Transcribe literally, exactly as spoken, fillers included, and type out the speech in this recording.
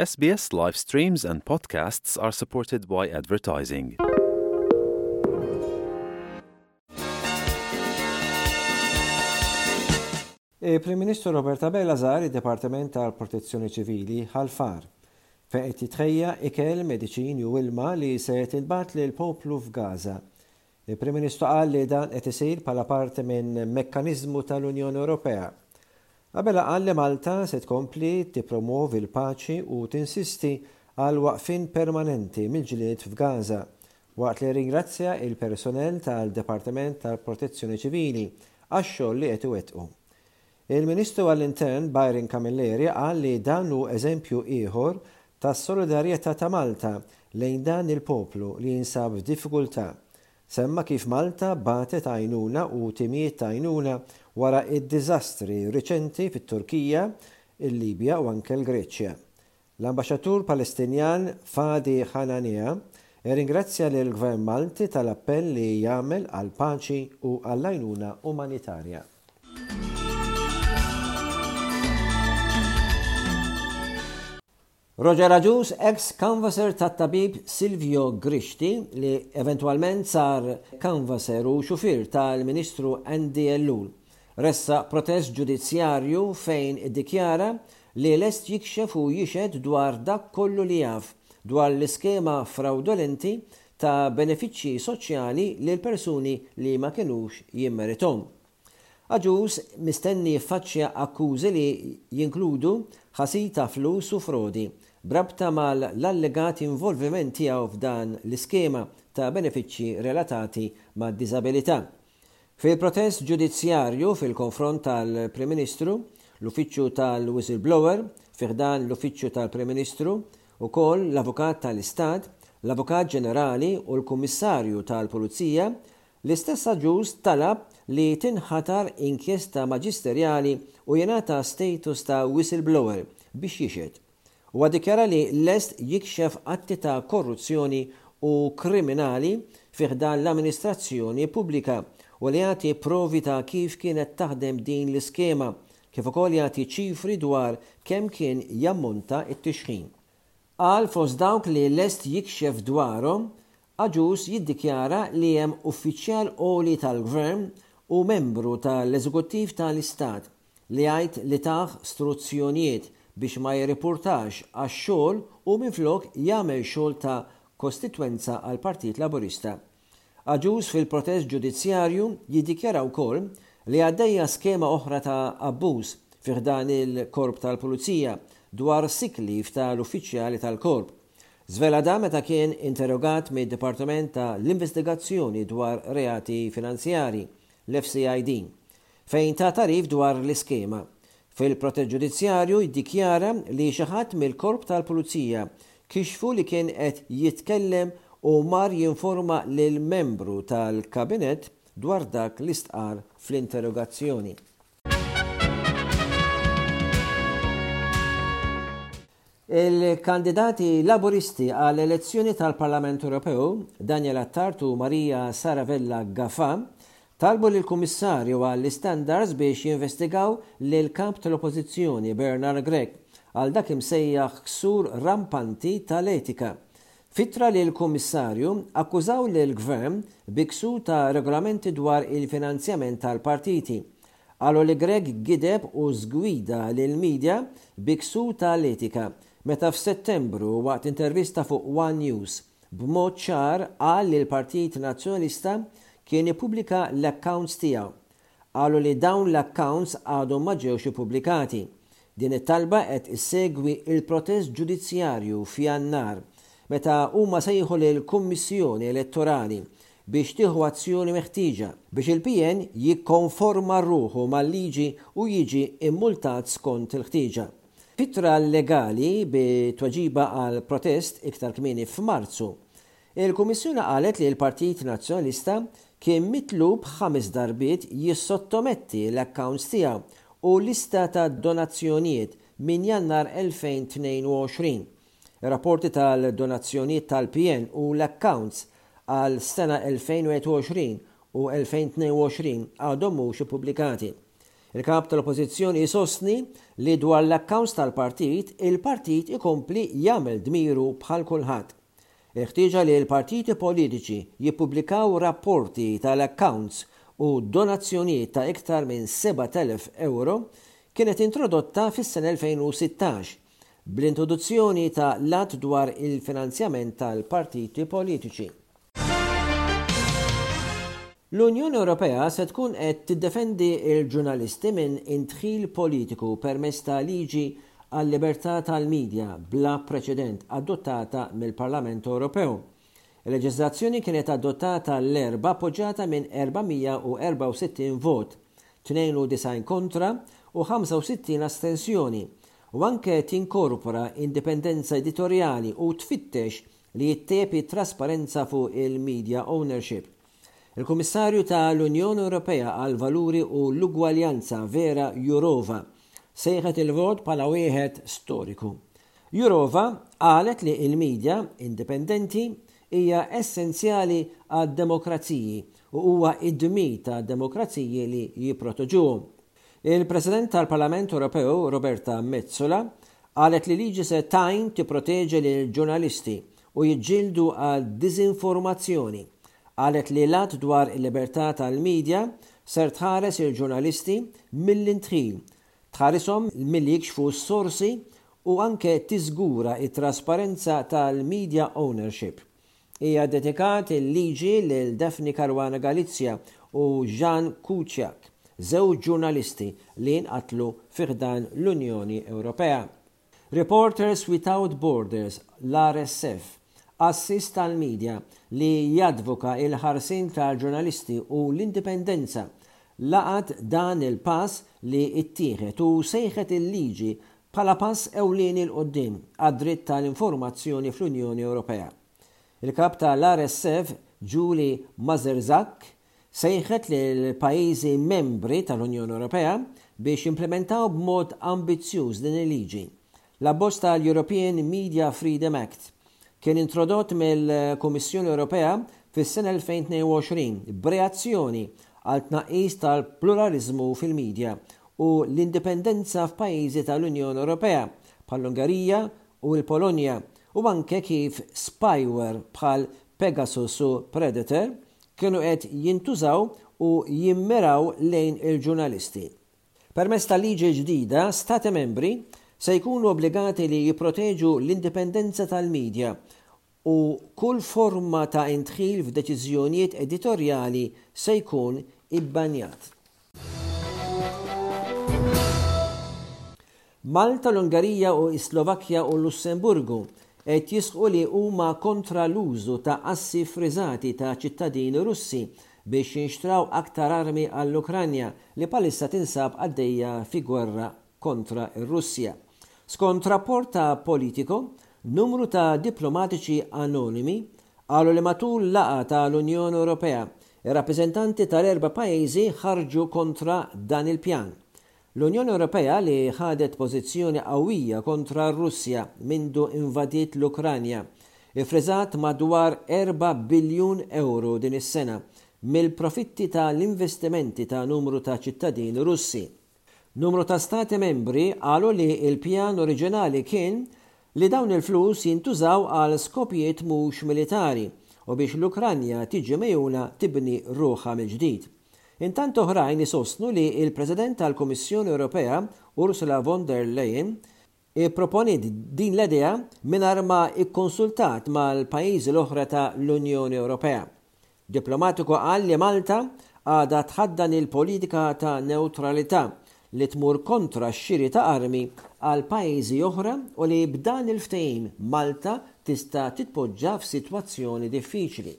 S B S live streams and podcasts are supported by advertising. Il-Prim Ministru Robert Abela żar id-Dipartiment tal-Protezzjoni Ċivili Ħal Far, fejn qed jitħejja ikel, mediċini u ilma li se tintbagħat lil poplu f'Gaza. Il-Prim Ministru qal li dan qed isir bħala parti minn mekkaniżmu tal-Unjoni Ewropea. Abela qal li Malta se tkompli tippromovi l-paċi u tinsisti għal waqfin permanenti mill-ġlied f'Gaza, waqt li ringrazzja il-personel tal-Dipartiment tal-Protezzjoni Ċivili għax-xogħol li qed iwettqu. Il-Ministru għall-Intern Byron Camilleri qal li dan hu eżempju ieħor tas-solidarjetà ta' Malta lejn dan il-poplu li jinsab f'diffikultà. Semma kif Malta bagħtet għajnuna u timijiet ta' għajnuna wara id-diżastri riċenti fit-Turkija, il-Libja u anke l-Greċja. L-ambaxxatur Palestinjan Fadi Hanania ringrazzja lill gvern Malti tal-appell li jagħmel għal paċi u għall-għajnuna umanitarja. Roger Agius, ex-canvasser tat-tabib Silvio Grixti, li eventwalment sar canvasser u xufir tal-Ministru Andy Ellul, ressaq protest ġudizzjarju fejn iddikjara li lest jikxef u jixhed dwar dak kollu li jaf dwar l-iskema fraudolenti ta' benefiċċji soċjali lil persuni li ma kinux jimmerithom. Agius mistenni jiffaċċja akkużi li jinkludu ħasil ta' flus u frodi b'rabta mal-allegat involviment tiegħu f'dan l-iskema ta' benefiċċji relatati ma' diżabilità. Fil-protest ġudizzjarju fil-konfront tal-Prim Ministru, l-Uffiċċju tal-Whistleblower, fi ħdan l-Uffiċċju tal-Prim Ministru, ukoll l-Avukat tal-Istat, l-Avukat Ġenerali u l-Kummissarju tal-Pulizija, l-istess Agius talab li tinħatar inkjesta maġisterjali u jingħata status ta' whistleblower biex jixhed. U dikjara li lest jikxef atti ta' korruzzjoni u kriminali fi ħdan l-amministrazzjoni pubblika u li jagħti provi ta' kif kienet taħdem din l-iskema, kif ukoll jagħti ċifri dwar kemm kien jammonta it-tixħim. Qal fost dawk li lest jikxef dwarhom, Agius jiddikjara li hemm uffiċjal għoli tal-gvern u membru tal-eżekuttiv tal-Istat li jgħid li tah struzzjonijiet biex ma jirripurtax għax-xogħol u minflok jagħmel xogħol ta' kostitwenza għal Partit Laburista. Agius fil-protest ġudizzjarju jiddikjara wkoll li għaddejja skema oħra ta' abbuż fi ħdan il-korp tal-Pulizija dwar sick leave tal-uffiċjali tal-korp. Żvela dan meta kien interrogat mid-Dipartiment ta' l-Investigazzjoni dwar Reati Finanzjari, l-F C I D, fejn ta tagħrif dwar l-iskema. Fil-protest ġudizzjarju jiddikjara li xi ħadd mill-korp tal-Pulizija kixfu li kien qed jitkellem u mar jinforma lil membru tal-kabinet dwar dak li stqar fl-interrogazzjoni. Il-kandidati Laburisti għall elezzjoni tal-Parlament Ewropew, Daniel Attard u Maria Saravella Gafa, talbu lill-Kummissarju għall-Standards biex jinvestigaw lil kap tal-Oppożizzjoni Bernard Grech għal dak imsejjaħ ksur rampanti tal-etika. F'ittra lill-Kummissarju akkużaw lill-Gvern bi ksur ta' regolamenti dwar il-finanzjament tal-partiti. Qalu li Grech gideb u żgwida lil-medja bi ksur tal-etika meta f'Settembru, waqt intervista fuq One News, b'mod ċar qal li l-Partit Nazzjonalista kien ippubblika l-accounts tiegħu. Qalu li dawn l-accounts għadhom ma ġewx ippubblikati. Din it-talba qed issegwi il-protest ġudizzjarju f'Jannar meta huma sejħu lill-Kummissjoni Elettorali biex tieħu azzjoni meħtieġa biex il-P N jikkonforma ruħu mal-liġi u jiġi immultat skont il-ħtieġa. F'ittra legali bi tweġiba għal protest iktar kmieni f'Marzu, il-Kummissjoni qalet li l-Partit Nazzjonalista kien mitlub ħames darbiet jissottometti l-accounts tiegħu u lista ta' donazzjonijiet minn Jannar elfejn u tnejn u għoxrin. Rapporti tal-donazzjonijiet tal-P N u l-accounts għal sena elfejn u wieħed u għoxrin u elfejn u tnejn u għoxrin għadhom mhux ippubblikati. Il-kap tal-Oppożizzjoni jsostni li dwar l-accounts tal-partit, il-partit ikompli jagħmel dmiru bħal kulħadd. Il-ħtieġa li l-partiti politiċi jippubblikaw rapporti tal-accounts u donazzjonijiet ta' iktar minn sebat elef euro kienet introdotta fis-sena elfejn u sittax bl-introduzzjoni ta' l-Att dwar il-finanzjament tal-partiti politiċi. L-Unjoni Ewropea se tkun qed tiddefendi il-ġurnalisti minn indħil politiku permezz ta' liġi għal-libertà tal-medja bla preċedent adottata mill-Parlament Ewropew. Il-leġiżlazzjoni kienet adottata l-Erbgħa, appoġġjata minn erba' mija u erbgħa u sittin vot, tnejn u disgħin kontra u ħamsa u sittin astensjoni, u anke tinkorpora indipendenza editorjali u tfittex li jittejjeb trasparenza fuq il-media ownership. Il-Kummissarju tal-Unjoni Ewropea għal Valuri u l-Ugwaljanza, Vera Jourova, sejħet il-vot bħala wieħed storiku. Jourova qalet li il-medja indipendenti hija essenzjali għad-demokraziji u huwa id-dmir ta' demokraziji li jipproteġuhom. Il-President tal-Parlament Ewropew, Roberta Metsola, qalet li liġi se tgħin tipproteġi lil ġurnalisti u jiġġieldu għal diżinformazzjoni. Qalet li l-Att dwar il-libertà tal-medja ser tħares il-ġurnalisti mill-indħil, tħarishom milli jikxfu s-sorsi u anke tiżgura it-trasparenza tal-media ownership. Hija dedikat il-liġi lil Daphne Caruana Galizia u Jan Kuciak, żewġ ġurnalisti li nqatlu fi ħdan l-Unjoni Ewropea. Reporters Without Borders, l-R S F, għassies tal-medja li jadvoka il-ħarsien tal-ġurnalisti u l-indipendenza, laqat dan il-pass li ittieħed u sejħet il-liġi bħala pass ewlieni 'l quddiem għad-dritt tal-informazzjoni fl-Unjoni Ewropea. Il-kap tal-R S F, Julie Majerzak, sejħet l-pajjiżi membri tal-Unjoni Ewropea biex jimplementaw b'mod ambizzjuż din il-liġi. L-abbozz tal-European Media Freedom Act kien introdott mill-Kummissjoni Ewropea fis-sena elfejn u tnejn u għoxrin b'reazzjoni għal tnaqqis tal-pluralizmu fil-medja u l-indipendenza f'pajjiżi tal-Unjoni Ewropea bħall-Ungerija u l-Polonja u anke kif spyware bħal Pegasus u Predator kienu qed jintużaw u jimmiraw lejn il-ġurnalisti. Permezz tal-liġi ġdida, stati membri se jkunu obbligati li jipproteġu l-indipendenza tal-medja u kull forma ta' indħil f'deċiżjonijiet editorjali se jkun ibbanjat. Malta, l-Ungarija u Slovakkja u Lussemburgu qed jisħqu li huma kontra l-użu ta' assi friżati ta' ċittadini Russi biex jinxtraw aktar armi għall-Ukranja, li bħalissa tinsab għaddejja fi gwerra kontra ir-Russja. Skont rapport ta' Politico, numru ta' diplomatiċi anonimi qalu li matul laqgħa tal-Unjoni Ewropea, ir-rappreżentanti tal-erba' pajjiżi ħarġu kontra dan il-pjan. L-Unjoni Ewropea, li ħadet pożizzjoni qawwija kontra r-Russja mindu invadiet l-Ukranja, ifriżat madwar erba' biljun euro din is-sena mill-profitti tal-investimenti ta' numru ta' ċittadini Russi. Numru ta' stati membri qalu li il-pjan oriġinali kien li dawn il-flus jintużaw għal skopijiet mhux militari u biex l-Ukranja tiġi megħjuna tibni ruħha mill-ġdid. Intant, oħrajn isostnu li il-President tal-Kummissjoni Ewropea, Ursula von der Leyen, ipproponiet din l-idea mingħajr ma ikkonsultat mal-pajjiżi l-oħra ta' l-Unjoni Ewropea. Diplomatiku qal li Malta għadha tħaddan il-politika ta' neutralità li tmur kontra x-xiri ta' armi għal pajjiżi oħra u li b'dan il-ftehim Malta tista' titpoġġa f'sitwazzjoni diffiċli.